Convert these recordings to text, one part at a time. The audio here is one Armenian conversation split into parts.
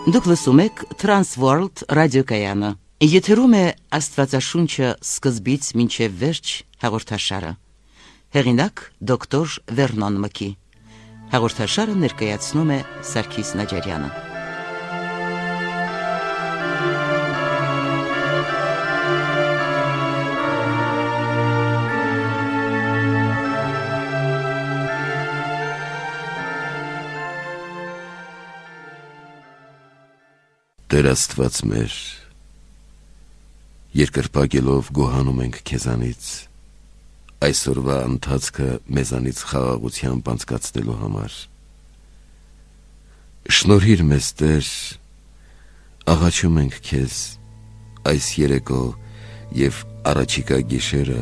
Դուք լսում եք Transworld ռադիոկայանը։ Եթերում է Աստվածաշունչը սկզբից մինչև վերջ հաղորդաշարը։ Հեղինակ դոկտոր Վերնոն Մկի։ Հաղորդաշարը ներկայացնում է Սարգիս Նաջարյանը։ Տեր Աստված մեր, երկրպագելով գոհանում ենք քեզանից, այսօրվա ընթացքը մեզանից խաղաղությամբ անցկացնելու համար։ Շնորհիր մեզ, Տեր, աղաչում ենք քեզ այս երեկո և առաջիկա գիշերը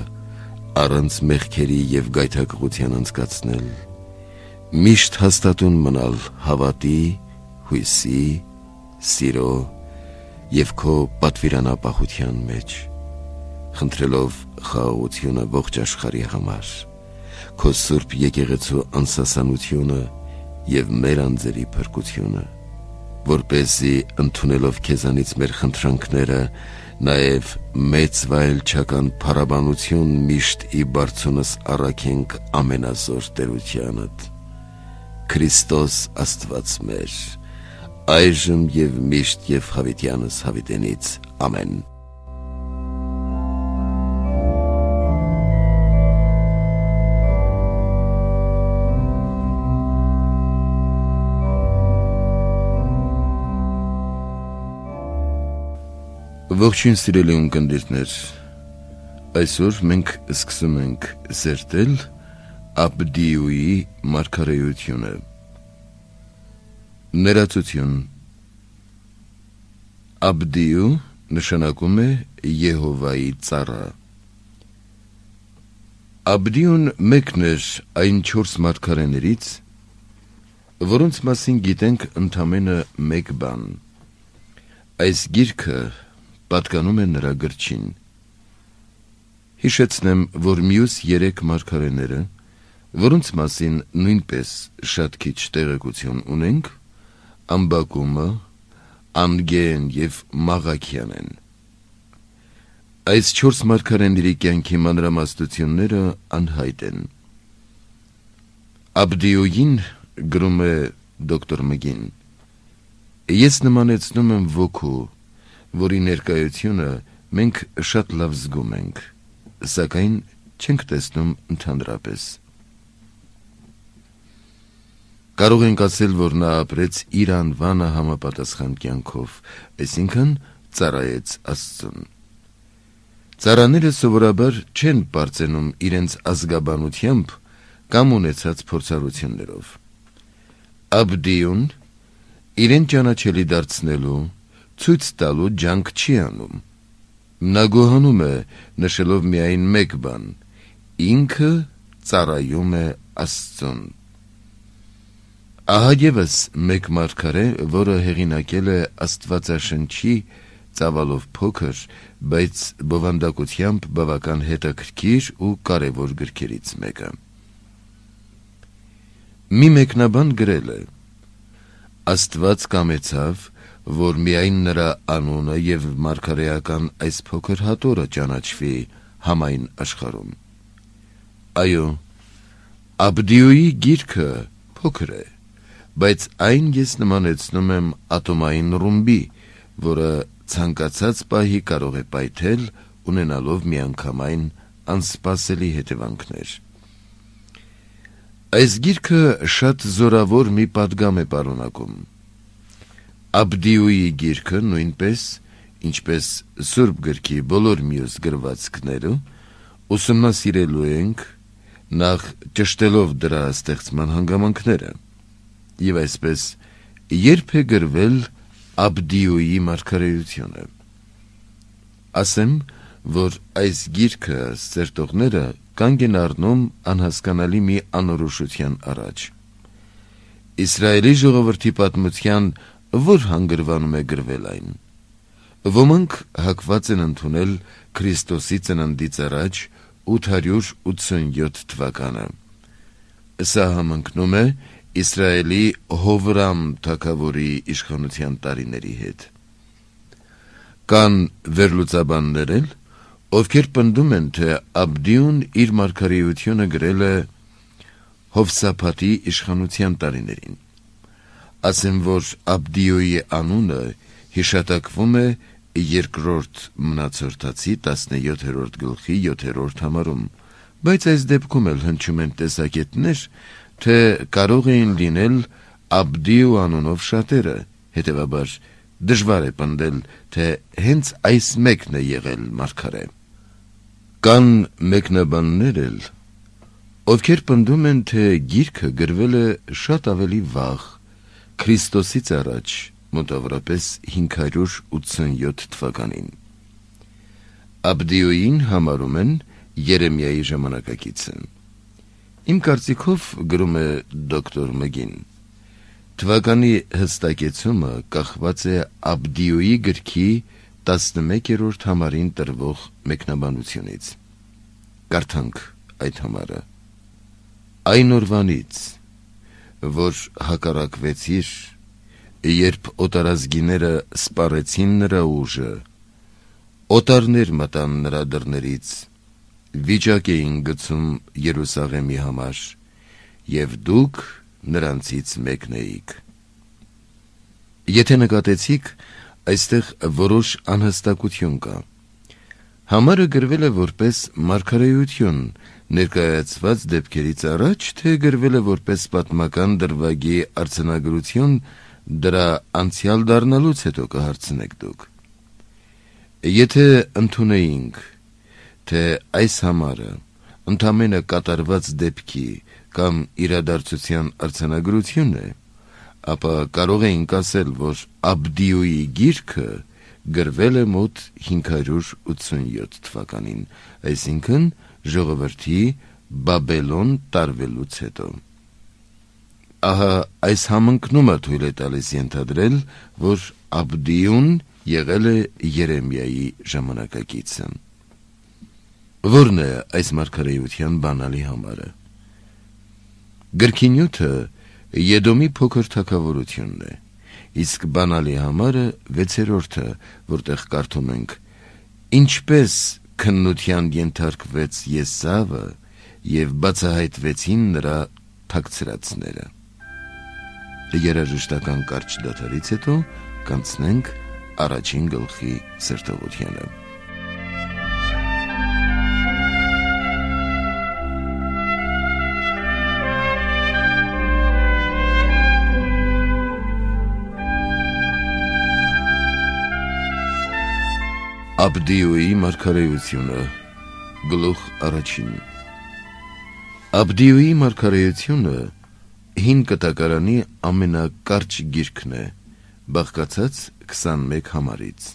առանց մեղքերի և գայթակղության անցկացնել, միշտ հաստատուն մնալ հավատի, հույսի, սիրո և քո պատվիրանապահության մեջ, խնդրելով խաղաղությունը ողջ աշխարհի համար, քո սուրբ եկեղեցու անսասանությունը և մեր անձերի փրկությունը, որպեսզի ընդունելով քեզանից մեր խնդրանքները, նաև մեծ վայելչական փառաբանություն միշտ ի բարձունս առաքենք ամենազոր տերությանդ, Քրիստոս Աստված մեր, այժմ և միշտ և հավիտյանս հավիտենից, ամեն։ Ողջույն սիրելի ունկնդիրներ, այսօր մենք սկսում ենք սերտել Աբդիուի մարգարեությունը։ Ներածություն։ Աբդիու նշանակում է Եհովայի ծառա։ Աբդիուն մեկն էր այն 4 մարգարեներից, որոնց մասին գիտենք ընդամենը մեկ բան։ Այս գիրքը պատկանում է նրա գրչին։ Հիշեցնեմ, որ մյուս 3 մարգարեները, որոնց մասին նույնպես շատ քիչ տեղեկություն ունենք, Ամբակումը, Անգեն և Մաղաքյան են։ Այս 4 մարգարեների կյանքի մանրամասնությունները անհայտ են։ Աբդիուին, գրում է դոկտոր Մգին, ես նմանեցնում եմ ոգու, որի ներկայությունը մենք շատ լավ զգում ենք, սակայն չենք տեսնում ընդհանրապես։ Կարող ենք ասել, որ նա ապրեց իր անվանը համապատասխան կյանքով, այսինքն ծառայեց Աստծուն։ Ծառաները սովորաբար չեն պարծենում իրենց ազգաբանությամբ կամ ունեցած փորձառություններով։ Աբդիուն իրեն ճանաչելի դարձնելու, ցույց տալու ջանք չի անում։ Նա գոհանում է, նշելով միայն մեկ բան. ինքը ծառայում է Աստծուն։ Ահա ևս մեկ մարգարե, որը հեղինակել է Աստվածաշնչի ծավալով փոքր, բայց բովանդակությամբ բավական հետաքրքիր ու կարևոր գրքերից մեկը։ Մի մեկնաբան գրել է. Աստված կամեցավ, որ միայն նրա անունը և մարգարեական այս փոքր հատորը ճանաչվի համայն աշխարհում։ Այո, Աբդիուի գիրքը փոքր է, բայց այն ես նմանեցնում եմ ատոմային ռումբի, որը ցանկացած պահի կարող է պայթել, ունենալով միանգամայն անսպասելի հետևանքներ։ Այս գիրքը շատ զորավոր մի պատգամ է պարունակում։ Աբդիուի գիրքը նույնպես, ինչպես Սուրբ գրքի բոլոր մյուս գրվածքները, ուսումնասիրելու ենք, նախ ճշտելով դրա ստեղծման հանգամանքները, և այսպես երբ է գրվել Աբդիուի մարգարեությունը։ Ասեմ, որ այս գիրքը սերտողները կանգ են առնում անհասկանալի մի անորոշության առաջ։ Իսրայելի ժողովրդի պատմության որ հանգրվանում է գրվել այն։ Ոմանք հակված են ընդունել Քրիստոսի ծննդից առաջ 887 թվականը։ Սա համընկնում է Իսրայելի Հովրամ թագավորի իշխանության տարիների հետ։ Կան վերլուծաբաններ, ովքեր պնդում են, թե Աբդիուն իր մարգարեությունը գրել է Հովսափաթի իշխանության տարիներին։ Ասեմ, որ Աբդիոյի անունը հիշատակվում է երկրորդ մնացորդացի 17-րդ գլխի 7-րդ համարում, բայց այս դեպքում էլ հնչում են տեսակետներ, թե կարող էին լինել Աբդիու անունով շատերը, հետևաբար դժվար է պնդել, թե հենց այս մեկն է եղել մարգարե։ Կան մեկնաբաններ էլ, ովքեր պնդում են, թե գիրքը գրվել է շատ ավելի վաղ, Քրիստոսից առաջ, մոտավորապես 587 թվականին։ Աբդիոյին համարում են Երեմիայի ժամանակակիցը։ Իմ կարծիքով, գրում է դոկտոր Մգին, թվականի հստակեցումը կախված է Աբդիոյի գրքի 11-րդ համարին տրվող մեկնաբանությունից։ Կարդանք այդ համարը. Այն օրվանից, որ հակառակվեցիր, երբ օտարազգիները սպառեցին նրա ուժը, օտարներ մտան նրա դռներից, վիճակ էին գցում Երուսաղեմի համար, և դուք նրանցից մեկն էիք։ Եթե նկատեցիք, այստեղ որոշ անհստակություն կա։ Համարը գրվել է որպես մարգարեություն ներկայացված դեպքերից առաջ, թե գրվել է որպես պատմական դրվագի արձանագրություն դրա անցյալ դառնալուց հետո կհարցնեք դուք։ Եթե ընդունեինք, թե այս համարը ընդամենը կատարված դեպքի կամ իրադարձության արձանագրություն է, ապա կարող էինք ասել, որ Աբդիոյի գիրքը գրվել է մոտ 587 թվականին, այսինքն ժողովրդի Բաբելոն տարվելուց հետո։ Ահա այս համընկնումը թույլ է տալիս ենթադրել, որ Աբդիուն եղել է Երեմիայի ժամանակակիցը։ Որն է այս մարգարեության բանալի համարը։ Գրքի նյութը Եդոմի փոքր թագավորությունն է, իսկ բանալի համարը 6-րդը, որտեղ կարդում ենք. ինչպես քննության ենթարկվեց Եսավը և բացահայտվեցին նրա թաքցրածները։ Երաժշտական կարճ դադարից հետո կանցնենք առաջին գլխի սրտողությանը։ Աբդիոյի մարգարեությունը, գլուխ առաջին։ Աբդիոյի մարգարեությունը հին կտակարանի ամենակարճ գիրքն է, բաղկացած 21 համարից։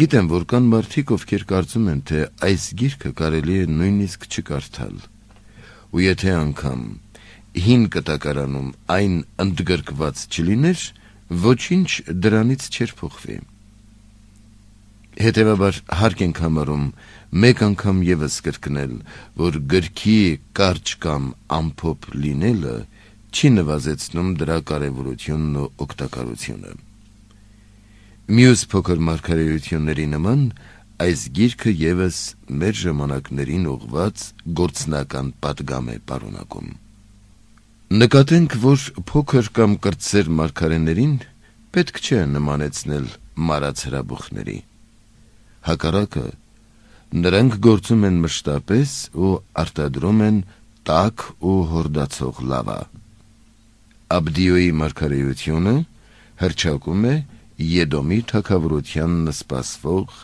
Գիտեմ, որ կան մարդիկ, ովքեր կարծում են, թե այս գիրքը կարելի է նույնիսկ չկարդալ, ու եթե անգամ հին կտակարանում այն ընդգրկված չլիներ, ոչինչ դրանից չէր փոխվի։ Հետևաբար հարկ ենք համարում մեկ անգամ ևս կրկնել, որ գրքի կարճ կամ ամփոփ լինելը չի նվազեցնում դրա կարևորությունն ու օգտակարությունը։ Մյուս փոքր մարգարեությունների նման այս գիրքը ևս մեր ժամանակներին ուղղված գործնական պատգամ է պարունակում։ Նկատենք, որ փոքր կամ կրտսեր մարգարեներին պետք չէ նմանեցնել մարած հրաբուխների։ Հակառակը, նրանք գործում են մշտապես ու արտադրում են տաք ու հորդացող լավա։ Աբդիոյի մարգարեությունը հռչակում է Եդոմի թագավորությանն սպասվող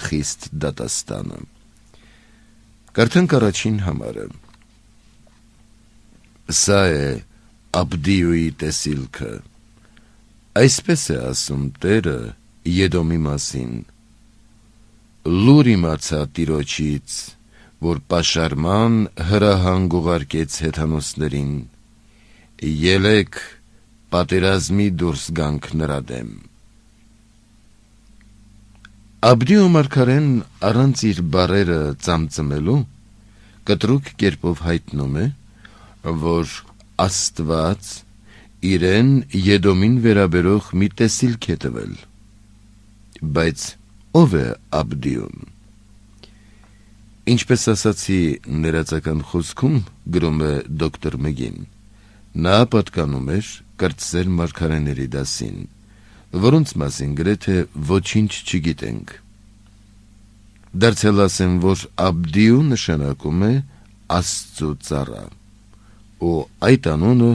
խիստ դատաստանը։ Կարդանք առաջին համարը։ Սա է Աբդիոյի տեսիլքը։ Այսպես է ասում Տերը Եդոմի մասին. լուր իմացա Տիրոջից, որ պաշարման հրահանգ ուղարկեց հեթանոսներին, ելեք պատերազմի դուրս գանք նրա դեմ։ Աբդիո մարգարեն առանց իր բառերը ծամծմելու կտրուկ կերպով հայտնում է, որ Աստված իրեն Եդոմին վերաբերող մի տեսիլք է տվել։ Բայց ով է Աբդիուն։ Ինչպես ասացի ներածական խոսքում, գրում է դոկտոր Մգին, նա պատկանում էր կրտսեր մարգարեների դասին, որոնց մասին գրեթե ոչինչ չգիտենք։ Դարձյալ ասեմ, որ Աբդիու նշանակում է Աստծու ծառա, ու այդ անունը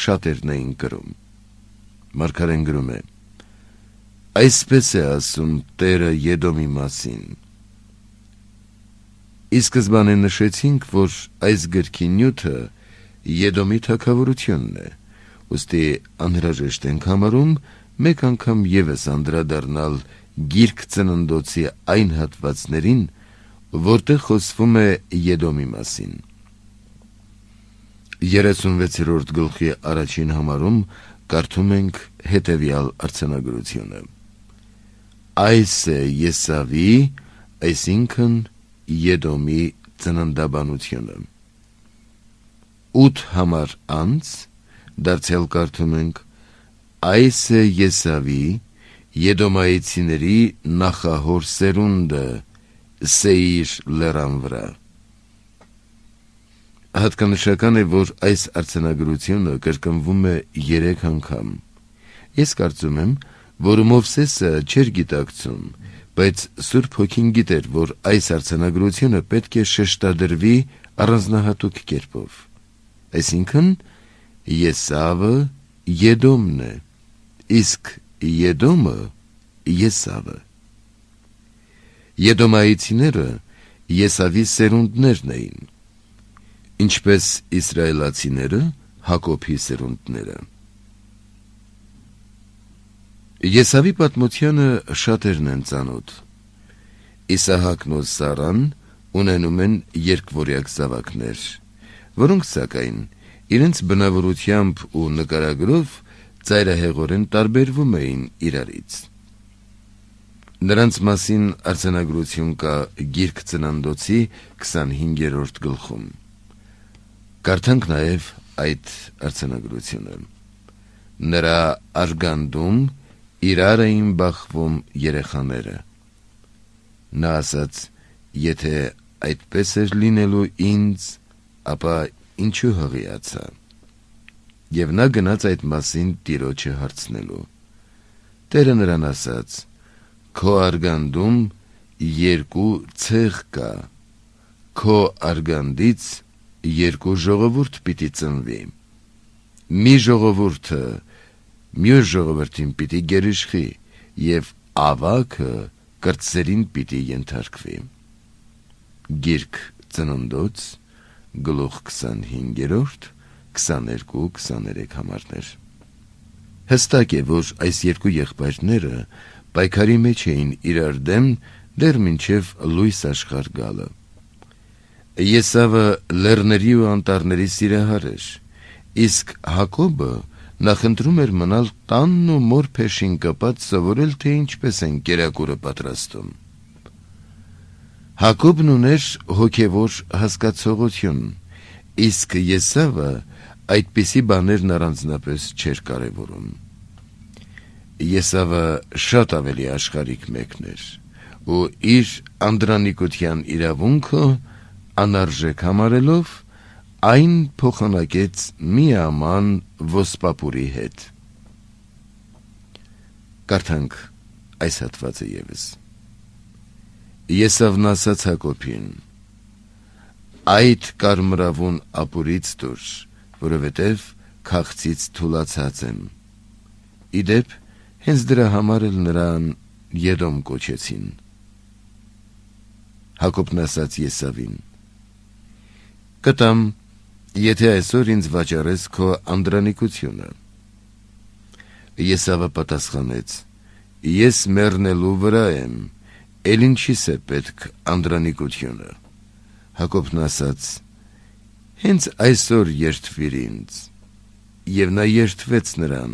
շատերն էին կրում։ Մարգարեն գրում է. այսպես է ասում Տերը Եդոմի մասին։ Ի սկզբանե նշեցինք, որ այս գրքի նյութը Եդոմի թագավորությունն է, ուստի անհրաժեշտ ենք համարում մեկ անգամ ևս անդրադառնալ Գիրք Ծննդոցի այն հատվածներին, որտեղ խոսվում է Եդոմի մասին։ 36-րդ գլխի առաջին համարում կարդում ենք հետևյալ արձանագրությունը. Այս է Եսավի, այսինքն Եդոմի ծննդաբանությունը։ 8 համար անց դարձյալ կարդում ենք. այս է Եսավի, Եդոմայցիների նախահոր սերունդը Սեիր լեռան վրա։ Հատկանշական է, որ այս արձանագրությունը կրկնվում է 3 անգամ։ Ես կարծում եմ, որ Մովսեսը չէր գիտակցում, բայց Սուրբ Հոգին գիտեր, որ այս արձանագրությունը պետք է շեշտադրվի առանձնահատուկ կերպով։ Այսինքն, Եսավը Եդոմն է, իսկ Եդոմը Եսավը։ Եդոմայցիները Եսավի սերունդներն էին, ինչպես իսրայելացիները Հակոբի սերունդները։ Եսավի պատմությանը շատերն են ծանոթ։ Իսահակն ու Սարան ունենում են երկվորյակ զավակներ, որոնք սակայն իրենց բնավորությամբ ու նկարագրով ծայրահեղորեն տարբերվում էին իրարից։ Նրանց մասին արձանագրություն կա Գիրք Ծննդոցի 25-րդ գլխում։ Կարդանք նաև այդ արձանագրությունը։ Նրա արգանդում իրար էին բախվում երեխաները։ Նա ասաց, եթե այդպես էր լինելու ինձ, ապա ինչու հղիացա։ Եվ նա գնաց այդ մասին Տիրոջը հարցնելու։ Տերը նրան ասաց. քո արգանդում 2 ցեղ կա, քո արգանդից 2 ժողովուրդ պիտի ծնվի։ Մի ժողովուրդը մյուս ժողովրդին պիտի գերիշխի, և ավագը կրտսերին պիտի ենթարկվի։ Գիրք Ծննդոց, գլուխ 25, 22-23 համարներ։ Հստակ է, որ այս երկու եղբայրները պայքարի մեջ էին իրար դեմ դեռ մինչև լույս աշխարհ գալը։ Եսավը լեռների ու անտառների սիրահար էր, իսկ Հակոբը նախընտրում էր մնալ տանն ու մոր փեշին կպած սովորել, թե ինչպես են կերակուրը պատրաստում։ Հակոբն ուներ հոգևոր հասկացողություն, իսկ Եսավը այդպիսի բաներն առանձնապես չէր կարևորում։ Եսավը շատ ավելի աշխարհիկ մեկն էր, ու իր անդրանիկության իրավունքը անարժեք համարելով այն փոխանակեց մի աման ոսպապուրի հետ։ Կարդանք այս հատվածը ևս։ Եսավն ասաց Հակոբին. այդ կարմրավուն ապուրից դուր, որովհետև քաղցից թուլացած եմ։ Իդեպ, հենց դրա համար էլ նրան Եդոմ կոչեցին։ Հակոբն ասաց Եսավին. կտամ, եթե այսօր ինձ վաճառես քո անդրանիկությունը։ Եսավը պատասխանեց. ես մեռնելու վրա եմ, էլ ինչիս է պետք անդրանիկությունը։ Հակոբն ասաց. հենց այսօր երդվիր ինձ։ Եվ նա երդվեց նրան։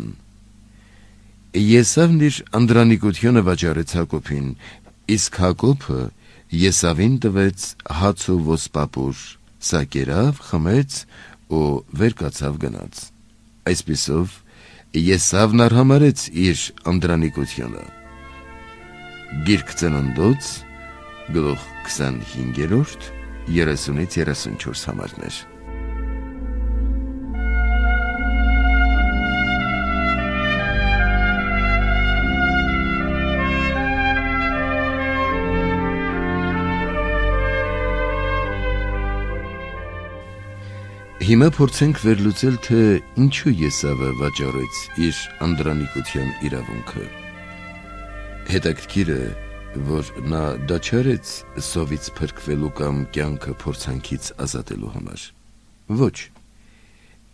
Եսավն իր անդրանիկությունը վաճառեց Հակոբին, իսկ Հակոբը Եսավին տվեց հաց ու ոսպապուր, սա կերավ, խմեց ու վեր կացավ գնաց։ Այսպիսով Եսավն արհամարեց իր անդրանիկությունը։ Գիրք Ծննդոց, գլուխ 25, 30-ից 34 համարներ։ Հիմա փորձենք վերլուծել, թե ինչու Եսավը վաճառեց իր անդրանիկության իրավունքը։ Հետաքրքիր է, որ նա դա չարեց սովից փրկվելու կամ կյանքը փորձանքից ազատելու համար։ Ոչ,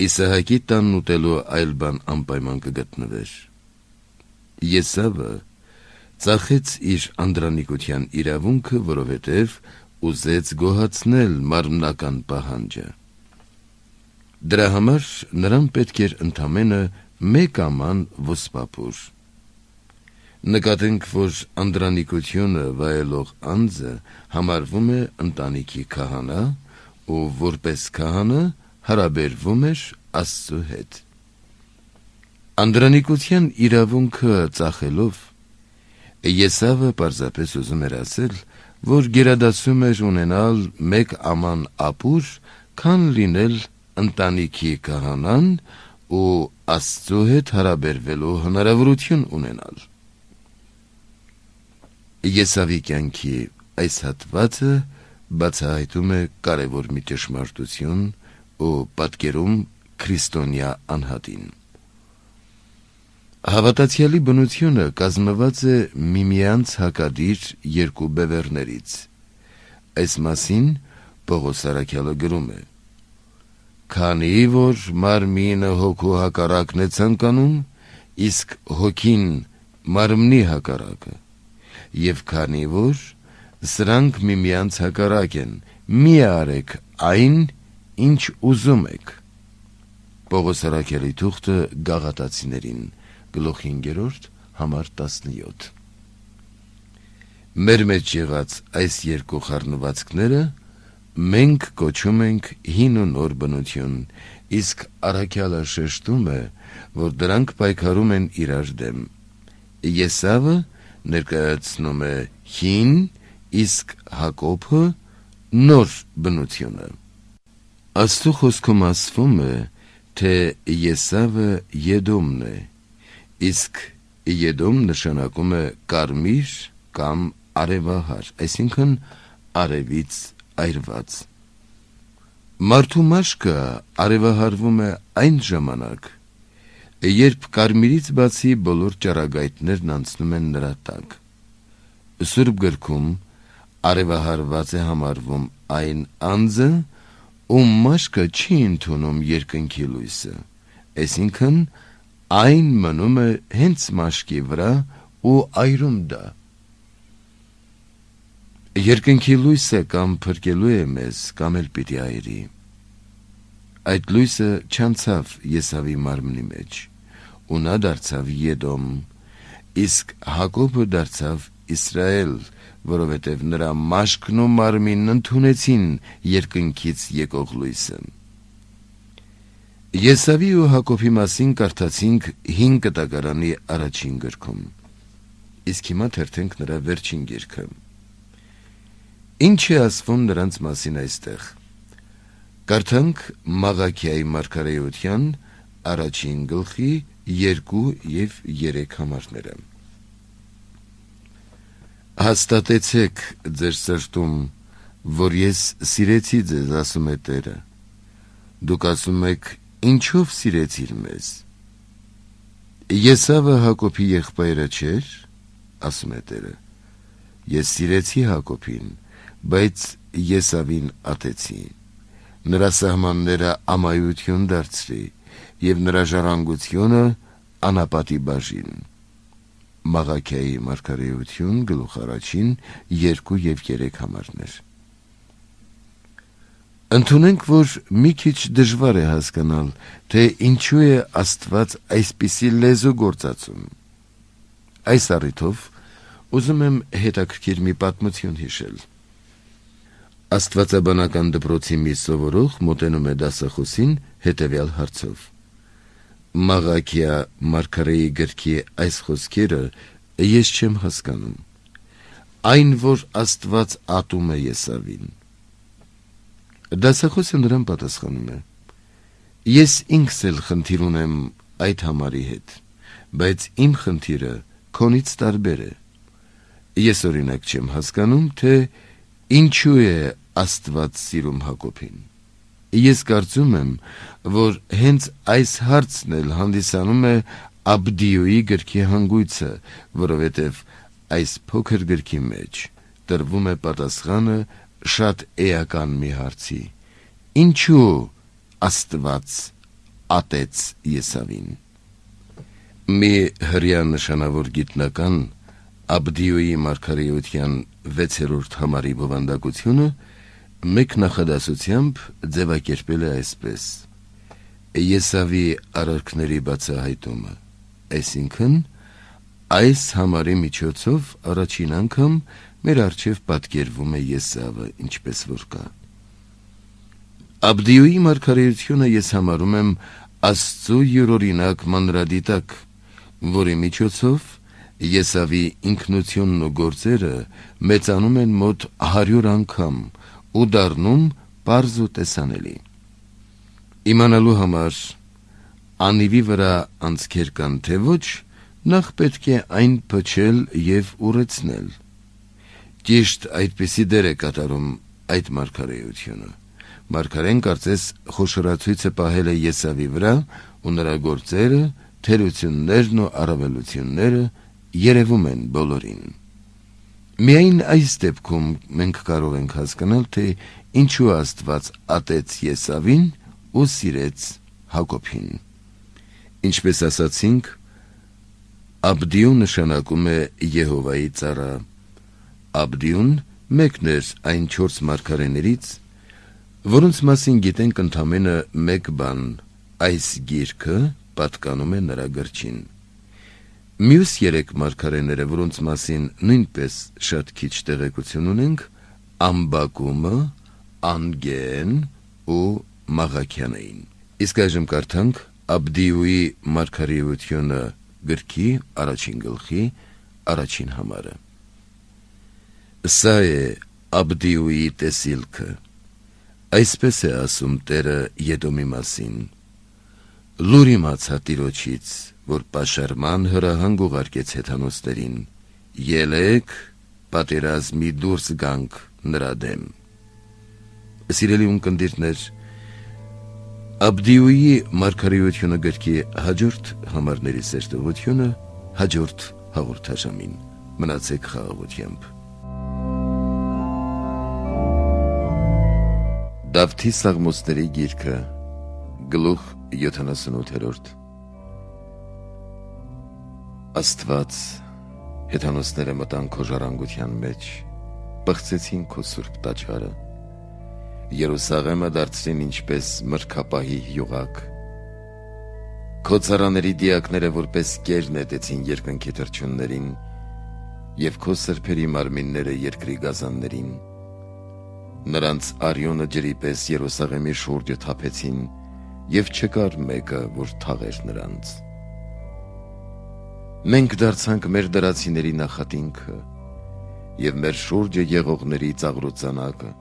Իսահակի տանն ուտելու այլ բան անպայման կգտնվեր։ Եսավը ծախեց իր անդրանիկության իրավունքը, որովհետև ուզեց գոհացնել մարմնական պահանջը։ Դրա համար նրան պետք էր ընդամենը մեկ աման ոսպապուր։ Նկատենք, որ անդրանիկությունը վայելող անձը համարվում է ընտանիքի քահանա ու որպես քահանա հարաբերվում էր Աստծու հետ։ Անդրանիկության իրավունքը ծախելով Եսավը պարզապես ուզում էր ասել, որ գերադասում էր ունենալ մեկ աման ապուր, քան լինել ընտանիքի քահանան ու Աստծու հետ հարաբերվելու հնարավորություն ունենալ։ Եսավի կյանքի այս հատվածը բացահայտում է կարևոր մի ճշմարտություն ու պատկերում քրիստոնյա անհատին։ Հավատացյալի բնությունը կազմված է միմյանց հակադիր երկու բևեռներից։ Այս մասին Պողոս առաքյալը գրում է. «Քանի որ մարմինը հոգու հակառակն է ցանկանում, իսկ հոգին մարմնի հակառակը, եւ քանի որ սրանք միմյանց հակառակ են, մի արեք այն, ինչ ուզում եք»։ Պողոս առաքյալի թուղթը Գաղատացիներին, գլուխ 5, համար 17։ Մեր մեջ եղած այս երկու խառնվածքները մենք կոչում ենք հին ու նոր բնություն, իսկ առաքյալը շեշտում է, որ դրանք պայքարում են իրար դեմ։ Եսավը ներկայացնում է հին, իսկ Հակոբը նոր բնությունը։ Աստծու խոսքում ասվում է, թե Եսավը Եդոմն է, իսկ Եդոմ նշանակում է կարմիր կամ արևահար, այսինքն արևից այրված։ Մարդու մաշկը արևահարվում է այն ժամանակ, երբ կարմիրից բացի բոլոր ճառագայթներն անցնում են նրա տակ։ Սուրբ գրքում արևահարված է համարվում այն անձը, ում մաշկը չի ընդունում երկնքի լույսը, այսինքն այն մնում է հենց մաշկի վրա ու այրում դա։ Երկնքի լույսը կամ փրկելու է մեզ, կամ էլ պիտի այրի։ Այդ լույսը չանցավ Եսավի մարմնի մեջ, ու նա դարձավ Եդոմ, իսկ Հակոբը դարձավ Իսրայել, որովհետև նրա մաշկն ու մարմինն ընդունեցին երկնքից եկող լույսը։ Եսավի ու Հակոբի մասին կարդացինք 5 կտակարանի առաջին գրքում, իսկ հիմա թերթենք նրա վերջին գիրքը։ Ինչ է ասվում նրանց մասին այստեղ։ Կարդանք Մաղաքիայի մարգարեության առաջին գլխի 2 և 3 համարները։ Հաստատեցեք ձեր սրտում, որ ես սիրեցի ձեզ, ասում է Տերը։ Դուք ասում եք, ինչով սիրեցիր մեզ։ Եսավը Հակոբի եղբայրը չէր, ասում է Տերը։ Ես սիրեցի Հակոբին, բայց Եսավին ատեցի, նրա սահմանները ամայություն դարձրի և նրա ժառանգությունը անապատի բաժին։ Մաղաքիայի մարգարեություն, գլուխ 1, 2 և 3 համարներ։ Ընդունենք, որ մի քիչ դժվար է հասկանալ, թե ինչու է Աստված այսպիսի լեզու գործածում։ Այս առիթով ուզում եմ հետաքրքիր մի պատմություն հիշել։ Աստվածաբանական դպրոցի մի սովորող մոտենում է դասախոսին հետևյալ հարցով. Մաղաքիա Մարգարեի գրքի այս խոսքերը ես չեմ հասկանում. այն, որ Աստված ատում է Եսավին։ Դասախոսը նրան պատասխանում է. ես ինքս էլ խնդիր ունեմ այդ համարի հետ, բայց իմ խնդիրը քոնից տարբեր է։ Ես օրինակ չեմ հասկանում, թե ինչու է Աստված սիրում Հակոբին։ Ես կարծում եմ, որ հենց այս հարցն էլ հանդիսանում է Աբդիոյի գրքի հանգույցը, որովհետև այս փոքր գրքի մեջ տրվում է պատասխանը շատ էական մի հարցի. ինչու Աստված ատեց Եսավին։ Մի հրյա նշանավոր գիտնական Աբդիոյի մարգարեության 6-րդ համարի բովանդակությունը մեկ նախադասությամբ ձևակերպել է այսպես. Եսավի արարքների բացահայտումը, այսինքն այս համարի միջոցով առաջին անգամ մեր առջև պատկերվում է Եսավը, ինչպես որ կա։ Աբդիոյի մարգարեությունը ես համարում եմ Աստծու յուրօրինակ մանրադիտակ, որի միջոցով Եսավի ինքնությունն ու գործերը մեծանում են մոտ 100 անգամ ու դառնում պարզ ու տեսանելի։ Իմանալու համար անիվի վրա անցքեր կան թե ոչ, նախ պետք է այն փչել և ուռեցնել։ Ճիշտ այդպիսի դեր է կատարում այդ մարգարեությունը։ Մարգարեն կարծես խոշորացույցը պահել է Եսավի վրա ու նրա գործերը, թերություններն ու առավելությունները երևում են բոլորին։ Միայն այս դեպքում մենք կարող ենք հասկանալ, թե ինչու Աստված ատեց Եսավին ու սիրեց Հակոբին։ Ինչպես ասացինք, Աբդիու նշանակում է Եհովայի ծառա։ Աբդիուն մեկն էր այն 4 մարգարեներից, որոնց մասին գիտենք ընդամենը մեկ բան, այս գիրքը պատկանում է նրա գրչին։ Մյուս 3 մարգարեները, որոնց մասին նույնպես շատ քիչ տեղեկություն ունենք, Ամբակումը, Անգեն ու Մաղաքյան էին։ Իսկ այժմ կարդանք Աբդիուի մարգարեությունը գրքի առաջին գլխի առաջին համարը։ Սա է Աբդիուի տեսիլքը։ Այսպես է ասում Տերը Եդոմի մասին. լուր իմացա Տիրոջից, որ պաշարման հրահանգ ուղարկեց հեթանոսներին, ելեք պատերազմի դուրս գանք նրա դեմ։ Սիրելի ունկնդիրներ, Աբդիուի մարգարեությունը գրքի հաջորդ համարների սերտողությունը հաջորդ հաղորդաշամին։ Մնացեք խաղաղությամբ։ Դավթի Սաղմոսների գիրքը, գլուխ 78։ Աստված, հեթանոսները մտան քո ժառանգության մեջ, պղծեցին քո սուրբ տաճարը, Երուսաղեմը դարձրին ինչպես մրգապահի յուղակ, քո ծառաների դիակները որպես կեր նետեցին երկնքի թռչուններին և քո սրբերի մարմինները երկրի գազաններին, նրանց արյունը ջրի պես Երուսաղեմի շուրջը թափեցին և չկար մեկը, որ թաղեր նրանց։ Մենք դարձանք մեր դրացիների նախատինքը և մեր շուրջը եղողների ծաղրուծանակը,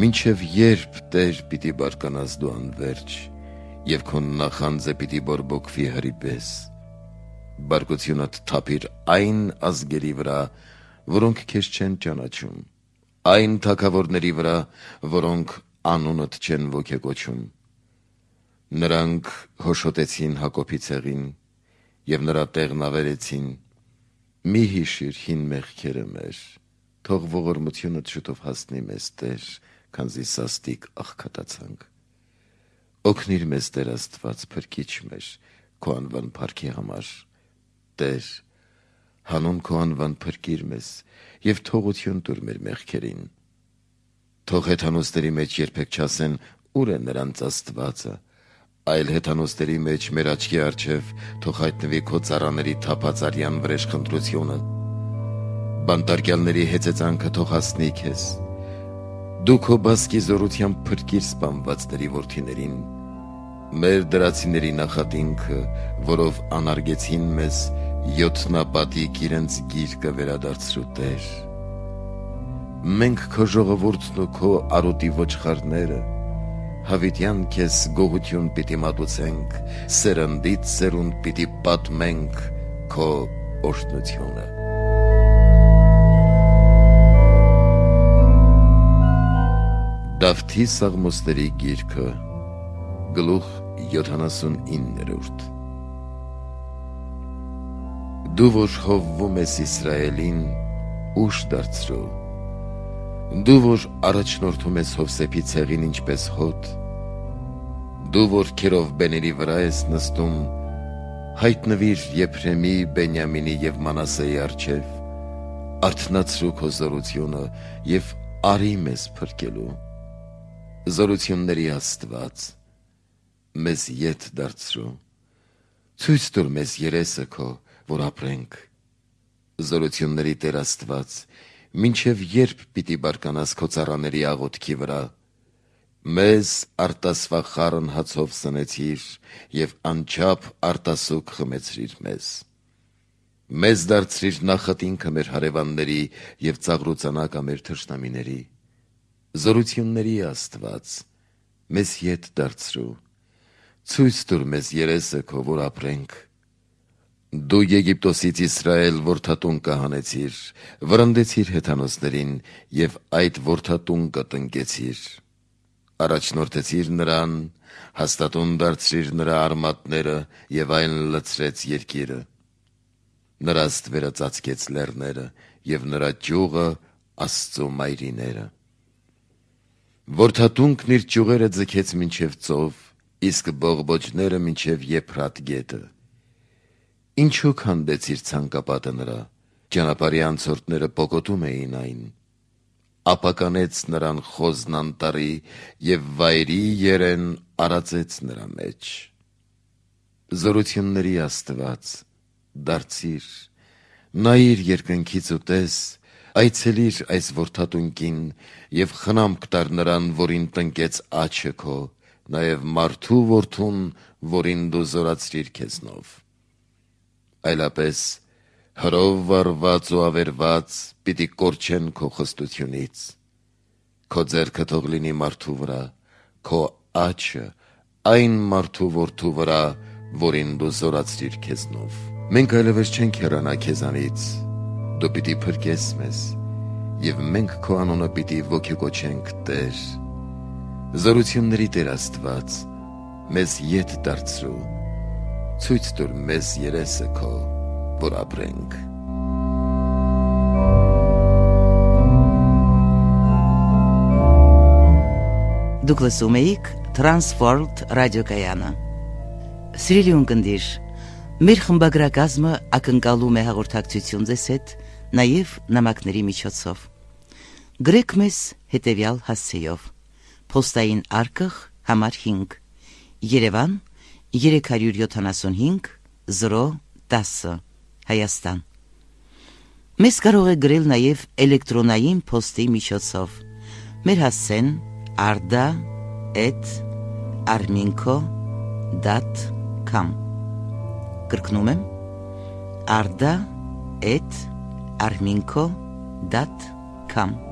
մինչև երբ Տեր պիտի բարկանաս դու անվերջ և քո նախանձը պիտի բորբոքվի հրի պես, բարկությունդ թափիր այն ազգերի վրա, որոնք քեզ չեն ճանաչում, այն թագավորների վրա, որոնք անունդ չեն ոգեկոչում։ Նրանք հոշոտեցին Հակոբի ցեղին և նրա տեղն ավերեցին։ Մի հիշիր հին մեղքերը մեր, թող ողորմությունդ շուտով հասնի մեզ, Տեր, քանզի սաստիկ աղքատացանք։ Օգնիր մեզ, Տեր Աստված, փրկիչ մեր, քո անվան փառքի համար։ Տեր, հանուն քո անվան փրկիր մեզ և թողություն տուր մեր մեղքերին։ Թող հեթանոսների մեջ երբեք չասեն ուր է նրանց Աստվածը, այլ հեթանոսների մեջ մեր աչքի առջև թող հայտնվի քո ծառաների թափած արյան վրեժխնդրությունը։ Բանտարկյալների հեծեծանքը թող հասնի քեզ, Դու քո բասկի զորությամբ փրկիր սպանվածների որդիներին, մեր դրացիների նախատինքը, որով անարգեցին մեզ, յոթնապատիկ իրենց գիրկը վերադարձրու Տեր։ Մենք քո ժողովուրդն ու քո արոտի ոչխարները հավիտյան քեզ գողություն պիտի մատուցենք, սերնդից սերունդ պիտի պատմենք քո օրհնությունը։ Դավթի Սաղմոսների գիրքը, գլուխ 79։ Դու որ հովվում ես Իսրայելին, ուշ դարձրու, դու որ առաջնորդում ես Հովսեփի ցեղին ինչպես հոտ, դու որ Քերովբեների վրա ես նստում, հայտնվիր Եփրեմի, Բենյամինի և Մանասեի առջև, արթնացրու քո զորությունը և արի մեզ փրկելու։ Զորությունների Աստված, մեզ ետ դարձրու, ցույց տուր մեզ երեսը քո, որ ապրենք։ Զորությունների Տեր Աստված, մինչև երբ պիտի բարկանաս քո ծառաների աղոթքի վրա, մեզ արտասվախարն հացով սնեցիր և անչափ արտասուք խմեցրիր մեզ։ Մեզ դարձրիր նախատինքը մեր հարևանների և ծաղրուծանակը մեր թշնամիների։ Զորությունների Աստված, մեզ ետ դարձրու, ցույց տուր մեզ երեսը քո, որ ապրենք։ Դու Եգիպտոսից Իսրայել որդատունկը հանեցիր, վրընդեցիր հեթանոսներին և այդ որդատունկը տնկեցիր։ Առաջնորդեցիր նրան, հաստատուն դարձրիր նրա արմատները և այն լցրեց երկիրը։ Նրա ստվերը ծածկեց լեռները և նրա ճյուղը Աստծու մայրիները։ Որդատունկն իր ճյուղերը ձգեց մինչև ծով, իսկ բողբոջները մինչև Եփրատ գետը։ Ինչու քանդեցիր ցանկապատը նրա, ճանապարհի անցորդները պոկոտում էին այն։ Ապականեց նրան խոզն անտառի և վայրի երեն արածեց նրա մեջ։ Զորությունների Աստված, դարձիր, նայիր երկնքից ու տես, այցելիր այս որդատունկին և խնամք տար նրան, որին տնկեց աջը քո, նաև մարդու որդուն, որին դու զորացրիր քեզնով։ Այլապես հրով վառված ու ավերված պիտի կորչեն քո խստությունից։ Քո ձեռքը թող լինի մարդու վրա, քո աջը այն մարդու որդու վրա, որին դու զորացրիր քեզնով։ Մենք այլևս չենք հեռանա քեզանից, դու պիտի փրկես մեզ, և մենք քո անունը պիտի ոգեկոչենք Տեր։ Զորությունների Տեր Աստված, մեզ ետ դարձրու, ցույց տուր մեզ երեսը քո, որ ապրենք։ Դուք լսում էիք Transworld ռադիոկայանը։ Սիրելի ունկնդիր, մեր խմբագրակազմը ակնկալում է հաղորդակցություն ձեզ հետ նաև նամակների միջոցով։ Գրեք մեզ հետևյալ հասցեով. Պոստային արկղ համար 5, Երևան 375 010, Հայաստան։ Մեզ կարող է գրել նաև էլեկտրոնային փոստի միջոցով։ Մեր հասցեն arda@arminco.com։ Կրկնում եմ arda@arminco.com